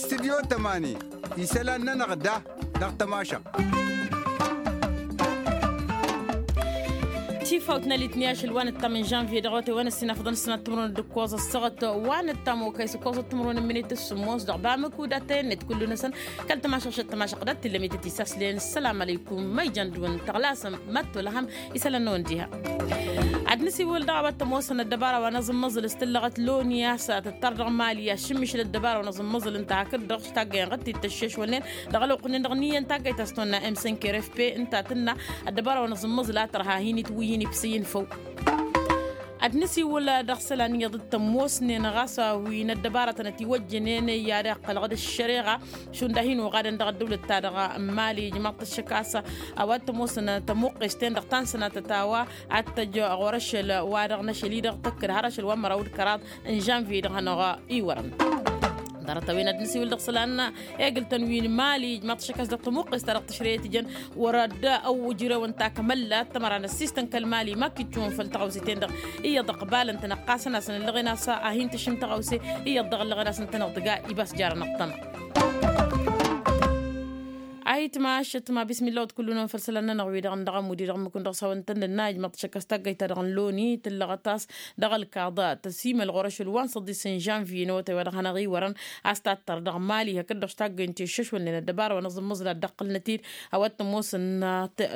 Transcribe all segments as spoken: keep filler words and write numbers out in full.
Tidyo tămani isălan-nănăɣ da dăɣ-tămašăɣt. Tifawt n-alitni ašăl wa nǝttam n-žănvye dăɣ-wăte wa n-ăssinafăḍăn s-năttămrun d-ǝkkoẓ ăssăɣăt wa nǝttam okăy s-ǝkkoẓ ăttămrun n-minit s-sǝmmos dăɣ-bamǝku d-atăyăn-net kullu-năsăn. Kăl-tămašăɣšăt tămašăɣ d-ad-tillăm ităt isaslen ăssălam alăykum ma ijăn dăɣ-wăn tăɣlasăm mad-tolăhăm. Isălan-năwăn diha ad-nǝsiwǝl dăɣ-a-wa t-ămoosăn ăddăbara wa n-aẓǝmmăẓǝl s-tǝllăɣăt loni a-s tǝttăr dăɣ-mali ašǝmmišǝl ăddăbara wa n-aẓǝmmăẓǝl ǝnta hakd-dăɣ s-taggăyăn ɣǝttǝy d-tăššešwălnen dăɣ-ălwăqq-nin-dăɣ n-iyyăn taggăyt a-s tăwănna m cinq r f p ǝnta tǝnna ăddăbara wa n-aẓǝmmăẓǝl a tărha hin-itwǝyyǝn ibsǝyyǝn făw. Ad-nǝsiwǝl dăɣ-isălan iyyăḍ d-tămoosnen ɣas wi n-ăddăbaratăn ătiwăjjănen i-ad-iqqălăɣ d-ăššăreɣa šund a hin-oɣadăn dăɣ-ăddăwlăt-ta-dăɣ n-mali ijmaḍ-t ăššăk a-s a-wa t-ămoosăn tămuqqes-ten-dăɣ ta n-sănatăt a-wa ad-tăj ɣur-ašăl wa dăɣ-năšăl-i-dăɣ tăkk d-har ašăl wa n-măraw d-kăraḍ n-žănviye dăɣ-hanăɣ-iwărăn. Ḍarăt-a-wen ad-nǝsiwǝl dăɣ-isălan egǝl-tăn wi n-mali ijmaḍ-t ăššăk a-s dăɣ-tămuqqes-ta-dăɣ tǝšrăyăt ijăn wăr-dd ăwwǝjrewăn takămăllat tămăra n-ăssistăn kăl-mali ma k-ijjǝwăn făll-taɣăwse-ten-dăɣ iyyăḍ ăqbalăn-tăn ăqqasăn-asăn ǝllăɣen a-s a hin-tǝšǝm taɣăwse iyyăḍ dăɣ-ǝllăɣen a-s ǝntăneḍ tǝga ibas jarăn ăṭṭăma. Ayǝtma ašătma bismillah wăt kullu-năwăn făll-isălan-nănăɣ wi-dăɣ n-dăɣ-ămud-i-dăɣ ǝmmǝk-wăn dăɣ-s a-wa ǝntăndănna ijmăḍ-t ašăk a-s taggăyt-ta-dăɣ n-loni tǝllăɣăt a-s dăɣ-ălkaḍa tăsimăl ɣur-ašăl wa n-săḍis n-žănviye n-awătay wa dăɣ-hanăɣ-iwărăn a-s tattăr dăɣ-mali hakd-dăɣ s-taggăyăn ti ǝššăšwălnen ăddăbara wa n-aẓǝmmăẓǝl ad-dd-ăqqǝlnăt-dd a-wa t-ămoosăn.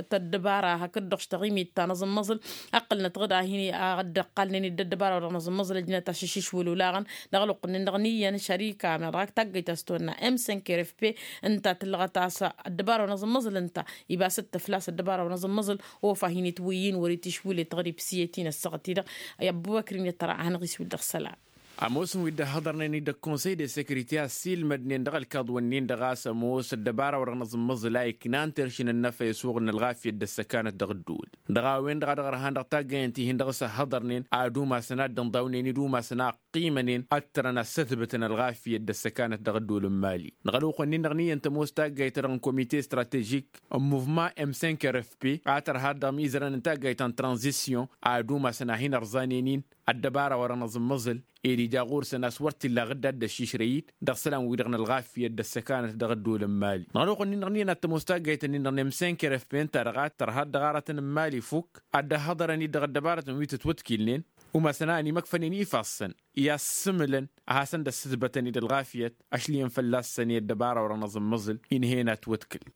Tăddăbara hakd-dăɣ s-taɣimit ta n-aẓǝmmăẓǝl ăqqǝlnăt ɣǝd a hin-ad-dd-ăqqalnen i-dd ăddăbara wa dăɣ-năẓǝmmăẓǝl ăjnăt ašǝššǝšwǝl olaɣăn dăɣ-ălwăqq-nin-dăɣ n-iyyăn šărika meɣ dăɣ-ak taggăyt a-s tăwănna m cinq r f p ǝnta tǝllăɣăt a-s ăddăbara wa n-aẓǝmmăẓǝl ǝnta ibas-dd tăflas ăddăbara wa n-aẓǝmmăẓǝl. Ofa hin-itwǝyyǝn wăr-itišwǝl i-taɣrib s-iyyăt-in ăssaɣăt-i-dăɣ i-ăbubăkr-in i-ăttăra ad-hanăɣ-iswǝl dăɣ-isălan. Ămoosăn wi dd-ăhhăḍărnen i-dd-ăkkonsăy de sekirite a ăssiilmădnen dăɣ-ălkaḍ-wǝnnin-dăɣ a-s ămoos ăddăbara wa dăɣ-năẓǝmmăẓǝl a iknan teršǝn ănnăfăy ăsuɣǝl n-ălɣafyăt d-ăssăkanăt dăɣ-ăddul dăɣ-a-wen-dăɣ a dăɣ-ărhan dăɣ-taggăyăn ti-hin-dăɣ s-ăhhăḍărnen ad-umasăn ad-dd-ǝnḍawnen-dd umasăn a ăqqimănen ad-tărăn ad-sătbătăn ălɣafyăt d-ăssăkanăt dăɣ-ăddul n-mali. Dăɣ-ălwăqq-wǝnnin-dăɣ n-iyyăn tămoos taggayt-ta-dăɣ n-komite stratežik n-muvman m cinq r f p a tărha dăɣ-imizărăn n-taggayt ta n-tranzisyon ad-umasăn a hin-ărẓanen-in ăddăbara wa dăɣ-năẓǝmmăẓǝl ed ija ɣur-săn a-s wăr t-illa ɣǝdda dd-ăššišrăy-dd dăɣ-isălan-wi-dăɣ n-ălɣafyăt d-ăssăkanăt dăɣ-ăddol n-mali. Dăɣ-ălwăqq-wǝnnin-dăɣ n-iyyăn ad-tămoos taggayt-ǝnnin-dăɣ n-m cinq r f p ǝnta-dăɣ a tărha ăddăɣarătăn n-mali fukk ad-dd-ăhhăḍărăn-dd dăɣ-ăddăbarătăn wi tǝtwǝtkilnen umasăn a ănimăkfănen ifassăn i-assǝmǝlăn ad-hasăn-dd-ăssǝtbătăn-dd ălɣafyăt. Ašli-en fălla-săn i-ăddăbara wa dăɣ-năẓǝmmăẓǝl inhăyăn ad-twǝtkǝl.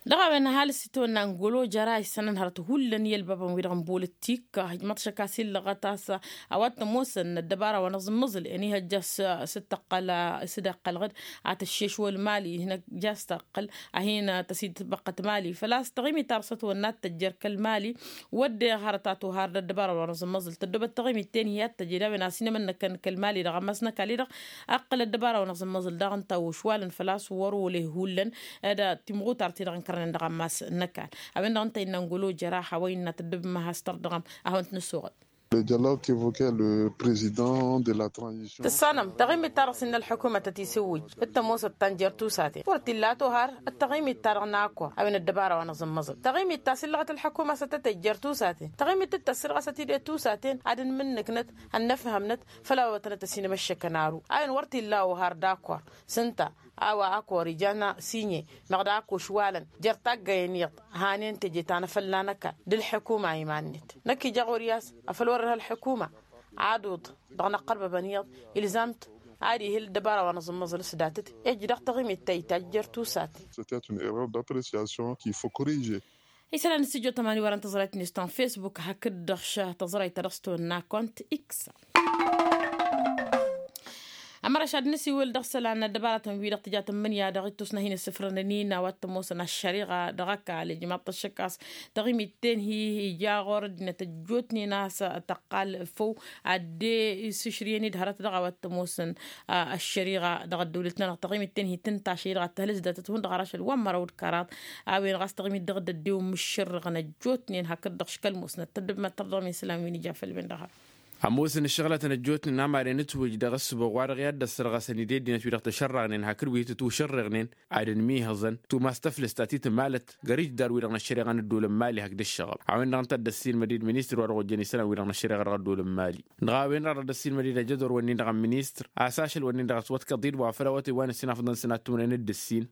Dăɣ-a-wen ăhalǝs itawănna n-golo jăra isănăn hărăt hullan i-ălbabăn-wi-dăɣ n-bolăttik. Ijmăḍ šăkka s-illăɣăt a-s a-wa t-ămoosăn ăddăbara wa n-aẓǝmmăẓǝl ănihăjja s-dd-tăqqăl s-dd-iqqăl ɣǝd ad-tăššešwăl mali hinăjja s-tăqqăl a hin-tăsidbăqqăt mali făl-a-s taɣimit ta dăɣ-s ătwănna ad-tăjjer kăl-mali. Wădden hărăt a tohar d-ăddăbara wa n-aẓǝmmăẓǝl tăddobăt taɣimit-ten-hi ad-tăjed a-wen a-s inămănnăkăn kăl-mali dăɣ-ammas n-ăkall-i-dăɣ. Ăqqǝl ăddăbara wa n-aẓǝmmăẓǝl daɣ ǝnta a ošwalăn făl-a-s wăr-oleh hullan d-timɣutar-ti-dăɣ ǝnkărnen dăɣ-ammas n-ăkall. A-wen-dăɣ ǝnta innă n-golo jăraha wa innă tăddobăm ad-has-tărdăɣăm ad-hawăn-t-nǝssoɣăl. Le dialogue qu'évoquait le président de la transition. Tǝssanăm taɣimit-ta-dăɣ s-innă ălḥukumăt ad-t-isǝwwǝj d-tămoosăt ta n-jer-tusaten wăr t-illa a tohar d-taɣimit-ta-dăɣ n-akor a-wen ăddăbara wa n-aẓǝmmăẓǝl taɣimit ta s-illăɣăt ălḥukumăt s-ad-tăt-ejjer tusaten taɣimit d-tăssirɣăsăt-dd i-tusaten ad-ǝnmǝnnǝknăt ănnăfhămnăt făll-a-wa tănăt-ăsinămăššăkăn aru a-wen wăr t-illa a ohar d-akor s-ǝnta a-wa akor ijan sinye meɣ d-ak ošwalăn jer-taggăyăn iyyăḍ hanen teje ta n-afălla n-ăkall d-ălḥukuma iman-net. Năkk ija ɣur-i a-s afăl wăr-ărha ălḥukuma ad-uḍ dăɣ-inăqqărbăbăn iyyăḍ ilzam-t ad-ihǝl ăddăbara wa n-aẓǝmmăẓǝl s-datăt ej dăɣ-taɣimit ta itajj jer-tusaten. C'était une erreur d'appréciation qu'il faut corriger. Isălan n-studio tămani wăren tăẓrayt-net ta n-facebook hakd-dăɣ š-tăẓrayt ta dăɣ-s tăwănna kont x. Ămăraš ad-nǝsiwǝl dăɣ-isălan n-ăddăbaratăn-wi-dăɣ tǝja tǝmmǝnǝya dăɣ-ittus n-ad-hin-issǝfrănăn-in a-wa t-ămoosăn ăššăriɣa dăɣ-ăkall ijmaḍ-t ăššăk a-s taɣimit-ten-hi ija ɣur-ăddinăt ăjjootnen a-s tăqqal făw ad-dd-isǝšrǝyăn-dd hărăt dăɣ-a-wa t-ămoosăn ăššăriɣa dăɣ-ăddăwlăt-nănăɣ taɣimit-ten-hi tǝnta ašăl-i-dăɣ ad-tăhǝlǝs datăt hundăɣ har ašăl wa n-măraw d-kăraḍ. A-wen ɣas taɣimit dăɣ-dd-ăddewăn mǝššărrăɣăn ăjjootnen hakd-dăɣ škăl musnăt tăddǝbmăt tărdăɣ-min isălan wi n-ija făll-wen-dăɣ. Ămoosăn ǝššăɣlătăn ăjjootnen amaren ǝtwǝj dăɣ-ǝssǝboɣ-wa-dăɣ i-ad-dd-ăssărɣăsăn-dd i-ăddinăt-wi-dăɣ tăšărrăɣnen hakd wi tǝtwǝšărrăɣnen ad-ănmihăẓăn tumas tăflǝst ta t-itmalăt găr-ijdarwi-dăɣ n-ăššăreɣa n-ăddool n-imali hakd ǝššăɣăb. A-wen-dăɣ ǝnta a dd-ăssiilmăd-dd ministăr wa dăɣ-ojăn isălan-wi-dăɣ n-ăššăreɣa dăɣ-ăddool n-imali. Dăɣ-a-wen-dăɣ a dd-ăssiilmăd-dd ajădor-wǝnnin-dăɣ n-ministăr a-s ašăl-wǝnnin-dăɣ ătwăḍkăḍ-dd wa făll-awătay wa n-ǝssin afḍăn săn ad-tumnen d-ǝssin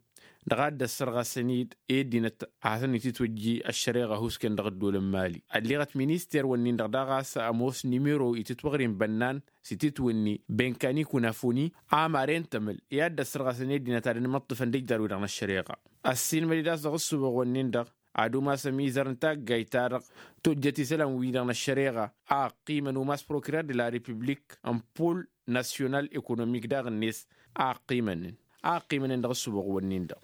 dăɣ-a dd-ăssărɣăsăn-dd i-ăddinăt ad-hasăn-ititwǝjji ăššăreɣa husken dăɣ-ăddool n-imali. Ălleɣăt minister-wǝnnin-dăɣ daɣ a-s ămoos nimero itǝtwăɣrin bănnan s-ititwǝnni benkani kunafoni amaren tămǝl i-ad-dd-ăssărɣăsăn i-ăddinăt ad-ănmăṭṭǝfăn d-ijdarwi-dăɣ n-ăššăreɣa. Ăssiilmăd-dd a-s dăɣ-ǝssǝboɣ-wǝnnin-dăɣ ad-umas ămizăr n-taggayt-ta-dăɣ tojjăt isălan-wi-dăɣ n-ăššăreɣa a ăqqimăn umas prokirer de la republik n-pol nasyonal ekonomik daɣ-net a ăqqimănen a ăqqimănen dăɣ-ǝssǝboɣ-wǝnnin-dăɣ.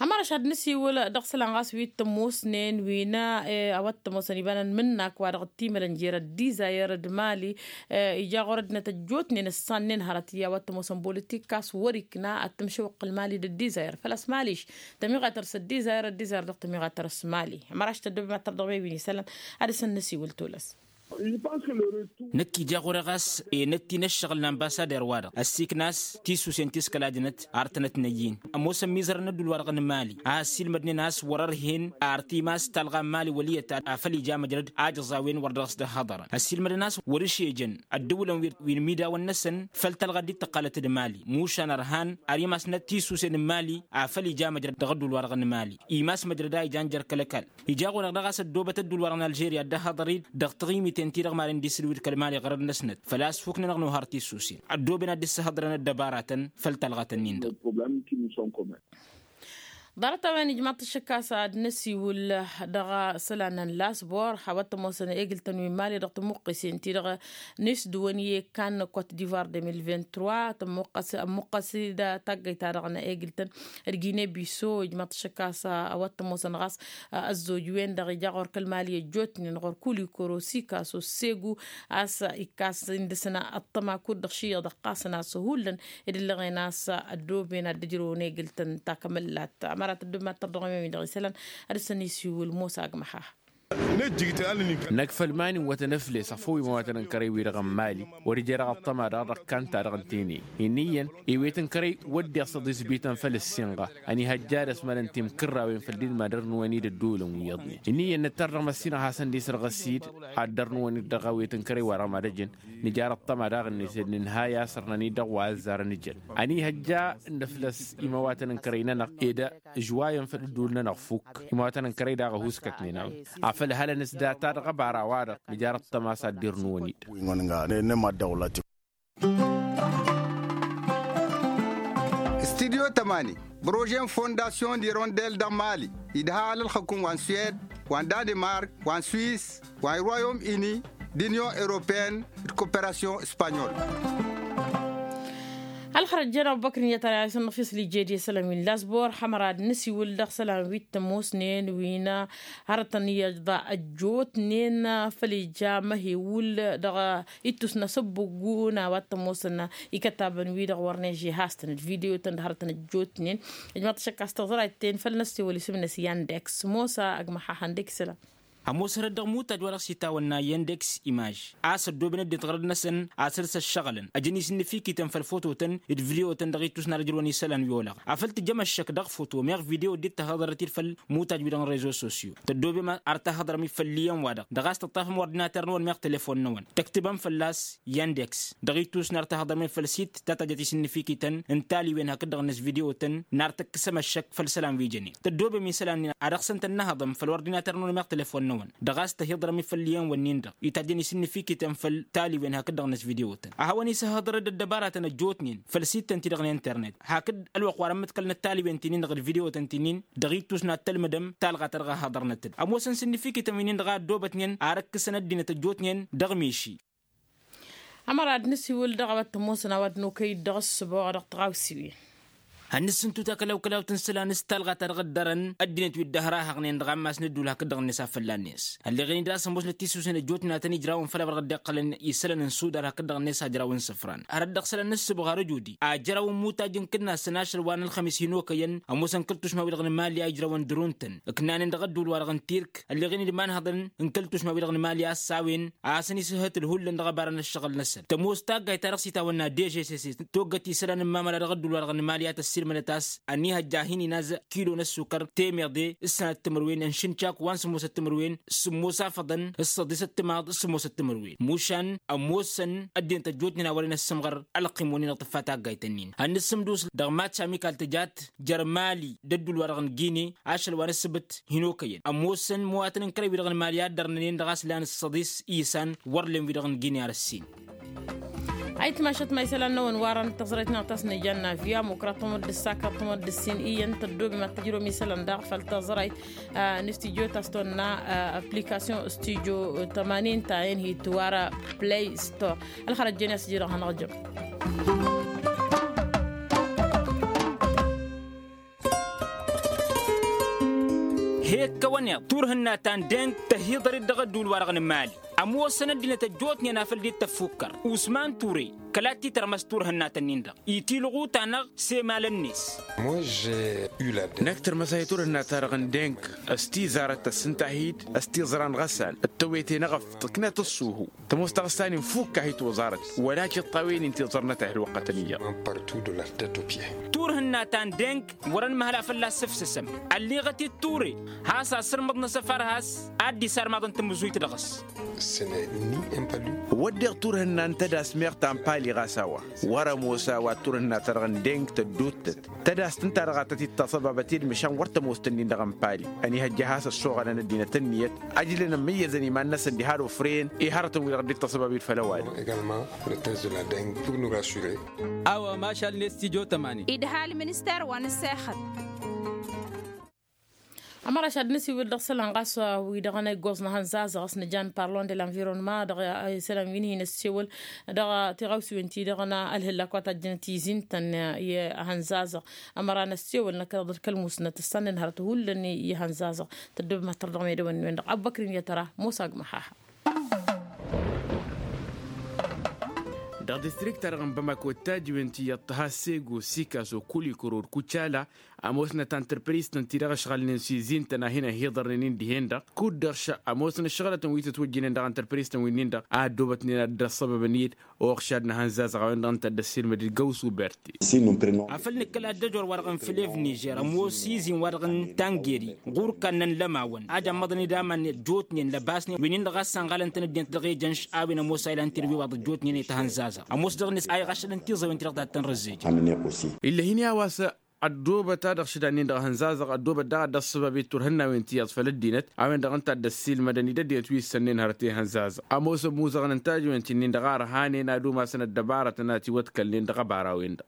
Ămăraš ad-nǝsiwǝl dăɣ-isălan ɣas wi t-ămoosnen wi n-a wa t-ămoosăn iba n-ănmǝnnak wa dăɣ-t-imălăn jer-ăddizayăr d-mali. Ija ɣur-ăddinăt ăjjootnen ǝssannen hărăt i-a-wa t-ămoosăn bolitik a-s wăr-ikna ad-tǝmšăwăqqǝl mali d-ăddizayăr făl-a-s mališ tămiɣatăr s-ăddizayăr ăddizayăr dăɣ-tămiɣatăr s-mali. Ămăraš tăddobem ad-tărdăɣmem wi n-isălan ad-dăɣ-săn nǝsiwǝl tolăs. Năkk ija ɣur-e ɣas enăt-in ăššăɣǝl n-anbassader-wa-dăɣ ăssiikna a-s tisusen ti s-kăla dănăt ar tănăt-năyyin. Ămoosăn mizărăn ădduul-wa-dăɣ n-mali a ăssiilmădnen a-s wăr-ărhen ar timas talɣa n-mali wăl' iyyăt a făl ija măjrăd a jăẓ a-wen wăr dăɣ-s dd-hăḍărăn ăssiilmădăn a-s wăr-ǝšejăn ăddăwǝlăn wi n-imidawăn-năsăn făll-talɣa dd-tăqqalăt d-mali mušan ărhan ar imasnăt tisusen n-mali a făl ija măjrăd dăɣ-ădduul-wa-dăɣ n-mali. Imas măjrăd a ijan jer-kăl-ăkall ija ɣur-e-dăɣ a-s ăddoobăt ădduul-wa-dăɣ n-alžerya dd-ăhhăḍăr-dd dăɣ-taɣimiten-ti-dăɣ maren dd-isǝlwǝd kăl-mali ɣărăd-năsnăt făl-a-s fuknen-dăɣ nohăr tisusen ăddooben ad-dd-sǝhhăḍrăn ăddăbaratăn făll-talɣătăn-in-dăɣ. Ḍarăt-a-wen ijmaḍ-t ăššăk a-s ad-năsiwǝl dăɣ-isălan n-lasbor a-wa t-ămoosăn egǝl-tăn wi n-mali dăɣ-tămuqqesen-ti-dăɣ n-isdǝwăn i-ekkan n-kot divoir deux mille vingt-trois tămmuqqăs-dd taggăyt-ta-dăɣ n-egǝl-tăn d-gine biso ijmaḍ-t ăššăk a-s a-wa t-ămoosăn ɣas ăzzoj-wen-dăɣ ija ɣur-kăl-mali ăjjootnen ɣur-kulikoro sikaso segu a-s ikkas-in dăɣ-săn ăṭṭăma kud-dăɣ šiyyăḍ ăqqasăn a-s hullan ed ǝllăɣen a-s ăddooben ad-dd-ǝjrăwăn egǝl-tăn takămăllat. Ămăra tăddobem ad-tărdăɣmem-in-dăɣ isălan ad-dăɣ-săn isiwǝl mosa agmăha. Năkk făll-iman iwwătăn ăfles ăfăw imawatăn n-kărăy-wi-dăɣ n-mali wăr-ija dăɣ-ăṭṭăma-dăɣ dăɣ-kanta-dăɣ ǝntăynen. Inn'-iyyăn iwet n-kărăy wădden s-ăḍisbităn făll-ǝssinɣa ăniihăjja ad-ăsmărăn timkǝrrawen făll-dd-madăr-năwăn-dd ădduulăn wi iyyăḍnen. Inn'-iyyăn nǝttăr dăɣ-măssinăɣ hasăn-dd-isărɣăs-dd ad-dăr-năwăn-dd dăɣ-awet n-kărăy-wa-dăɣ mad-ăjăn nǝjar ăṭṭăma daɣ-net ed nǝnhăy a-s ărnăn-dd dăɣ-wa ăzzarăn ǝjăn. Ăniihăjja n-nǝflăs imawatăn n-kărăy-nănăɣ ed ǝžwayăn făll-ădduul-nănăɣ fukk. Imawatăn n-kărăy daɣ ăhuskătnen a-wen afăl hălăn s-data dăɣ-ăbara-wa-dăɣ nǝjar ăṭṭăma a-s ad-dd-irnǝwăn-dd. Wi n-ănɣa n-e-mad-dăɣ wăla-t-i. Studyo tămani prože n-fondasyon d-irondel dăɣ-mali idha alălxăkun wa n-suwed wa n-danimark wa n-swis wa n-irwayom ini d-inyon europeen d-koperasyon s-panyol. Ălxărăt jăn ăbubăkr n-iyyătăn a isănnăɣ fisli jedi isălan wi n-lasbor hămăra d-nǝsiwǝl dăɣ-isălan wi t-ămoosnen wi n-hărătăn iyyăḍ ăjjootnen făll-ija măhewul dăɣ-ittus n-asăbbuggu n-a-wa t-ămoosăn ikătabăn-wi-dăɣ wăr neže has-tăn d-video-tăn d-hărătăn ăjjootnen. Ijmaḍ-t ašăk a-s tăẓrayt-ten făll-năssiwăl isǝm-năs yandeks mosa ăgg măxaxăn dek isălan. Ămoos hărăt dăɣ-imutaj wa dăɣ-s itawănna yandeks imaj a-s ăddooben ăddinăt ɣărăd-năsăn a-s ărs ăššăɣǝlăn ăjăn-i s-innǝfikităn făll-fototăn d-video-tăn dăɣ-ittus n-ad-ăj ǝjrăwăn isălan wi olăɣ afăl tǝjjăm ăššăk dăɣ-foto meɣ video dd-tahăḍărăt-dd făll-imutaj-wi-dăɣ n-rezo sosyo tăddobem ar tahăḍrăm-dd făll-iyyăn-wa-dăɣ dăɣ-a-s tăṭṭafăm ordinater-năwăn meɣ telefon-năwăn tăktǝbăm fălla-s yandeks dăɣ-ittus n-ar tahăḍrăm-dd făll-sit ta tăjjăt isǝnnǝfikităn n-taliwen hakd-dăɣ-năs video-tăn n-ar tăkkăsăm ăššăk făll-isălan wi jănen tăddobem isălan-nin ad-dăɣ-săn tănnăhăḍăm făll-ordinater-năwăn meɣ telefon-năwăn dăɣ-a-s tăhiḍrăm-dd făll-iyyăn-wǝnnin-dăɣ itajjăn isǝnnǝfikităn făll-taliwen hakd-dăɣ-năs video-tăn ad-hawăn-isăhhăḍărăd ăddăbaratăn ăjjootnen făll-sittăn-ti-dăɣ n-internet hakd ălwăqq wa dăɣ-mǝḍkălnăt taliwen ti-nin-dăɣ d-video-tăn ti-nin dăɣ-ittus n-ad-tălmǝdăm talɣa ta dăɣ-a hăḍărnăt-dd ămoosăn s-innǝfikităn wi-nin-dăɣ a ăddoobătnen ar ǝkkǝsăn ăddinăt ăjjootnen dăɣ-miši. Ămăra d-nǝsiwǝl dăɣ-a-wa t-ămoosăn a-wa d-nokăy dăɣ-ǝssǝboɣ dăɣ-tiɣawsiwen. Hannăs sǝntu takălaw-kălawt n-isălan s-talɣa ta dăɣ-dd-ărăn ăddinăt wi dd-ăhrahăɣnen dăɣ-ammas n-ădduul hakd-dăɣ-net a fălla-net ălleɣen-dd a-s ămoosnăt tisusen ăjjootnen a tăn-ijrawăn făll-a-wa dăɣ-dd-iqqălăn isălan n-sudar hakd-dăɣ-net a ǝjrawăn isǝfran hărăt dăɣ-isălan n-ǝssǝbɣar ăjudi a ǝjrawăn imutaj n-kǝnnasăn ašăl wa n-ălxămis hin-okăyăn ămoosăn kăl-tušma-wi-dăɣ n-imali a ǝjrawăn dăr-untăn ǝknanen dăɣ-ădduul wa-dăɣ n-tirk ălleɣen-dd imanhăḍăn n-kăl-tušma-wi-dăɣ n-imali a ăssawăn a hasăn-isǝhhǝtǝl hullan dăɣ-ăbarăn ăššăɣǝl-năsăn tămoos taggayt-ta-dăɣ s-itawănna d-ežesese toggăt isălan n-imamăla dăɣ-ădduul-wa-dăɣ n-imali a tăssiilmădăt a-s ănihăjja a hin-inaz kilo n-ăssukăr temeḍe s-sănat timǝrwen ănšǝnčak wa n-sǝmmosăt timǝrwen sǝmmos afăḍăn s-săḍisăt timaḍ s-sǝmmosăt timǝrwen mušan ămoosăn ăddinăt ăjjootnen a wăren ăssǝmɣăr ălqim-wen-in dăɣ-tǝffa taggayt-ǝnnin hannăs sǝmdus dăɣ-matš amikal tǝjat jer-mali d-ădduul-wa-dăɣ n-gine ašăl wa n-ǝssǝbǝt hin-okăyăn ămoosăn măwatăn n-kărăy-wi-dăɣ n-mali a dd-ărnănen dăɣ-a-s lan s-săḍis isan wăr len-wi-dăɣ n-gine ar ǝssin. Ayǝtmašăt ma isălan-năwăn warăn d-tăẓrăyt-năɣ ta s-nǝjjan n-avya mukrăt tămădd ǝssa krăt tămădd ǝssin iyyăn tăddoobem ad-tăjrăwăm isălan daɣ făll-tăẓrăyt n-studyo ta s-tonna application studyo tămanin ta inhit wara play store. Ălxărăt jen i-a-s iji-dăɣ hanăɣ-jăm. He-ǝkkăwăn-eḍ turhǝnna ta n-deng tăhiḍăr-dd dăɣ-ădduul-wa-dăɣ n-mali ămoosăn ăddinăt ăjjootnen a făl dd-tăffukkăr usman ture kăla t-titărmăs turhǝnna-tăn-in-dăɣ itiluɣu-ta-năɣ s-emalăn-net. Năkk tărmăsay turhǝnna-ta-dăɣ n-deng s-tizarăt tăssǝnta-hi-dd s-tiẓra n-ɣăsan d-tewete n-eɣăf tǝknăt ǝṣṣuhu tămoos taɣǝssa-nin fukk-ahi toẓarăt wăla cǝṭṭawen-in tiẓărnăt a hi-ălwăqqătăn iyyăḍ. Turhǝnna ta n-deng wăr-ănmăhăl a fălla-s ǝfsǝsăm ălliɣăt-dd ture has-asǝrmǝḍ n-asăfar has-ad-dd-isarmaḍăn tamǝzuyt dăɣ-s. Wădden turhǝnna n-tădas meɣ ta n-pali ɣas a-wa wăr-ămoos a-wa turhǝnna-ta-dăɣ n-deng tădduuttăt tădast ǝnta-dăɣ a tăt-dd-taṣăbabăt i-dd măšan wăr tămoos-tăn-in-dăɣ n-pali ănihăjja has-ăššoɣălăn ăddinăt ǝnniyăt ăjlăn ămmăyyăzăn iman-năsăn diha d-ofrăyăn i-hărătăn-wi-dăɣ dd-taṣăbabit făll-ăwadǝm. A-wa mašal-net tijo tămani. Idha ălminister wa n-ǝssexăt. Ămăraš ad-nǝsiwǝl dăɣ-isălan ɣas wi-dăɣ n-iggoẓ n-ehăn zazăɣ a-s nǝjan parlon de l-environnement dăɣ-isălan wi n-hin-ăssewăl dăɣ-tiɣawsiwen-ti-dăɣ n-ălhǝllak wa tajjăn tizin-tăn i-ehăn zazăɣ. Ămăra n-ăssewăl năkk dăɣ-kăl-musnăt ǝssanăn hărăt hullan i-ehăn zazăɣ tăddobem ad-tărdăɣ medăwăn-wen-dăɣ abbăkrin i-ad-tăra. Musa agmăhaha. Dăɣ-distrikt-ta-dăɣ n-bamako d-tajǝwen ti iyyăḍ tăha sego sikaso kulikoro d-kucala ămoosnăt antărpris-tăn ti-dăɣ ǝšɣălnen s-izin-tăn a hin-ăhiḍărnen-in dihen-dăɣ kud-dăɣ šăɣ ămoosnăt šăɣlătăn wi tǝtwǝjjǝnen dăɣ-antărpris-tăn wi-nin-dăɣ a ăddoobătnen ad-dd-ăṣṣăbăbăn-dd oɣšad n-ehăn zazăɣ a-wen-dăɣ ǝnta a dd-ăssiilmăd-dd găwsu berti. Afăl nǝkkăl ad-dd-ăjor wa-dăɣ n-flev nižer ămoos izin-wa-dăɣ n-tangeri ɣur-kannăn lămawăn a jammăḍăn-dd aman ăjjootnen lăbasnen wi-nin-dăɣ a s-sănɣalăn-tăn ăddinăt dăɣ-ejănš a-wen ămoos a ilan tirwiwaḍ ăjjootnen i-tahănzazăɣ ămoos dăɣ-net a iɣašălăn tiẓăwen ti-dăɣ ta t-tăn-răzzejăn. Illa hin-i a-wa s-ăddoobăt a dăɣ-šǝdan-nin-dăɣ ehăn zazăɣ ăddoobăt daɣ ad-dd-ăṣṣăbab i-turhǝnnawen ti iyyăḍ făll-ăddinăt a-wen-dăɣ ǝnta a dd-ăssiilmădăn-dd ăddinăt wi ǝssănnen hărăt i-ehăn zazăɣ ămoosăn imuzăɣăn n-tajǝwen ti-nin-dăɣ a ărhanen ad-umasăn ăddăbarătăn a tiwăḍkălnen dăɣ-ăbarawen-dăɣ.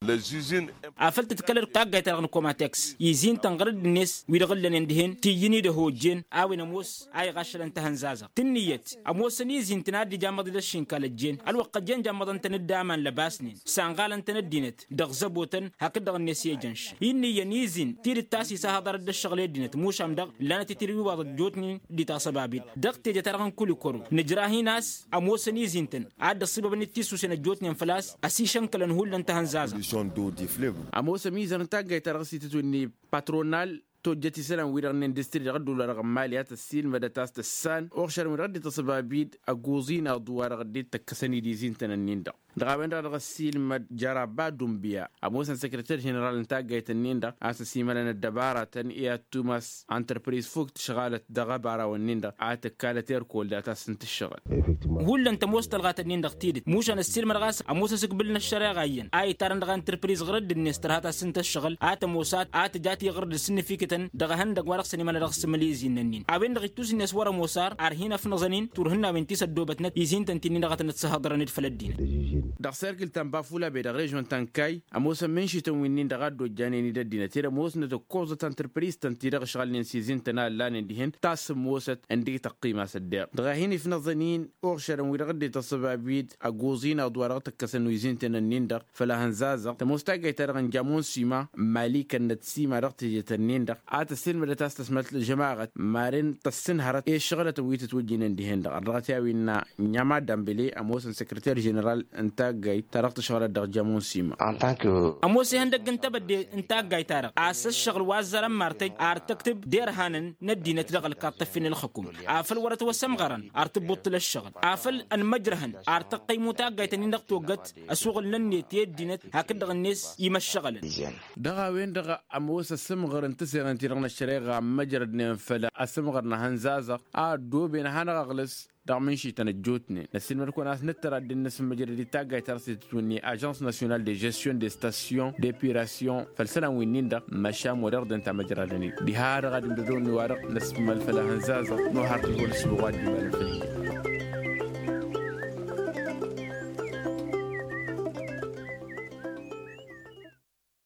Afăl tǝdkălăd taggayt-ta-dăɣ n-komateks izin-tăn ɣărădd-net wi-dăɣ ǝllănen dihen tiyyǝn-dd ăhojjen a-wen ămoos a iɣaššălăn tahănzazăɣ tǝnniyăt ămoosăn izin-tăn a dd-ijamăḍ-dd ăššinkal ăjjeen ălwăqq ăjjeen jammăḍăn-tăn-dd aman lăbasnen sănɣalăn-tăn ăddinăt dăɣ-zăbotăn hakd-dăɣ-net i-ejănš. Inn'-iyyăn izin tidǝt ta s-isahăḍăr dd-ăššăɣǝl i-ăddinăt mušam-dăɣ lănăt-i tirwiwaḍ ăjjootnen d-itasăbabit dăɣ-teje-ta-dăɣ n-kulikoro nǝjrah-in a-s ămoosăn izin-tăn a dd-ăṣṣibăbăn-dd tisusen ăjjootnen făl-a-s ăsišănkălăn hullan tahănzazăɣ. Ămoos ămizăr n-taggayt-ta-dăɣ s-itǝtwǝnni patronal tojjăt isălan-wi-dăɣ n-industri dăɣ-ădduul-wa-dăɣ n-mali a tăssiilmădăt a-s tăssan oɣšarăn-wi-dăɣ dd-tăsăbabid ăgguẓ-in aḍu-wa-dăɣ dd-tăkkăsăn-dd izin-tăn-ǝnnin-dăɣ. Dăɣ-a-wen-dăɣ a dăɣ-ăssiilmăd jăraba dumbǝya ămoosăn săkrăter ženeral n-taggayt-ǝnnin-dăɣ a-s ăsimălăn ăddăbaratăn i-ad-tumas ăntrăpriz fukk tǝšɣalăt dăɣ-ăbaraw-ǝnnin-dăɣ a tǝkkalăt erkol dat-asǝnt ǝššăɣǝl. Hullan tămoos tălɣat-ǝnnin-dăɣ tidǝt mušan ăssiilmădăɣ a-s ămoos asǝkbǝl n-ăššăreɣa iyyăn a itarăn dăɣ-antrăpriz ɣărădd-net tărha tasǝnt-ăššăɣǝl a tămoos a tǝja tiɣǝrd d-sǝnnǝfikǝtăn dăɣ-ehăndăgg wa dăɣ-săn imăla dăɣ-sǝmǝl izin-nănnin a-wen-dăɣ ittus-net wăr-ămoos ar ar hin-ăfnăẓăn-in turhǝnnawen ti s-ăddoobătnăt izin-tăn ti-nin-dăɣ a tăn-ăssihăḍărăn d-făll-ăddinăt. Dăɣ-serkǝl ta n-bafula be dăɣ-režon ta n-kayy ămoosăn mǝnšităn wi-nin-dăɣ a dd-ojjanen-i d-ăddinăt ed ămoosnăt ǝkkoẓăt antrăpriztăn-ti-dăɣ ǝšɣalnen s-izin-tăn a ǝllanen dihen tasǝmmosăt ǝndek tăqqima s-ăddeɣ dăɣ-a hin-ifnăẓăn-in. Uɣšărăn wi-dăɣ dd-ităṣṣăb abid ăggoẓ-in aḍwa dăɣ-tǝkkăsăn wi izin-tăn-nin-dăɣ făll-ahănzazăɣ tămoos taggayt-ta-dăɣ n-jamon sima n-mali kănnăt sima dăɣ-teje-tăn-nin-dăɣ a tăssilmădăt a-s tăsmălt ălžămaɣăt maren tăssǝnhărăt i-ǝššăɣǝlătăn wi tǝtwǝjjǝynen dihen-dăɣ ărrăɣăt i-a-wi ǝnna nya madambele ămoosăn săkrăter ženeral n-taggayt ta dăɣ-tǝšɣǝlăt dăɣ-jamon sima. Ămoos ihăndăgg n-tebădde n-taggayt-ta-dăɣ a-s ăššăɣǝl wa ăzzarăn martăj ar tăktǝb d-irhanăn n-ăddinăt dăɣ-ălkaḍ tăffin ălxǝkum afăl wăr-ătwăsămɣărăn ar tǝbbuṭṭǝl ăššăɣǝl afăl ănmăjrăhăn ar tăqqăymu taggayt-nin-dăɣ togăt ăsuɣǝl-nănnet i-ăddinăt hakd-dăɣ-net imăššăɣălăn. Dăɣ-a-wen-dăɣ ămoos ăsǝmɣăr n-tǝseɣen-ti-dăɣ n-ăššăreɣa ămmăjrădnen făll-asǝmɣăr n-ahănzazăɣ a ăddooben ad-hanăɣ-ăɣlǝs dăɣ-mǝnšităn ăjjootnen năssiilmăd-kăwăn a-s nǝttăr ad-dd-nǝsǝmmăjrăd i-taggayt ta dăɣ-s itǝtwǝnne ažans nasyonal de žestion de station d-epirasyon făll-isălan wi-nin-dăɣ măšan wăr-iɣdǝn tamăjradăn-dd diha-dăɣ ad-imdădăwnen wa-dăɣ năsmăl făll-ahănzazăɣ n-ohar d-ǝlwăl ǝssǝbăɣ wa dd-imalăn făll-hi.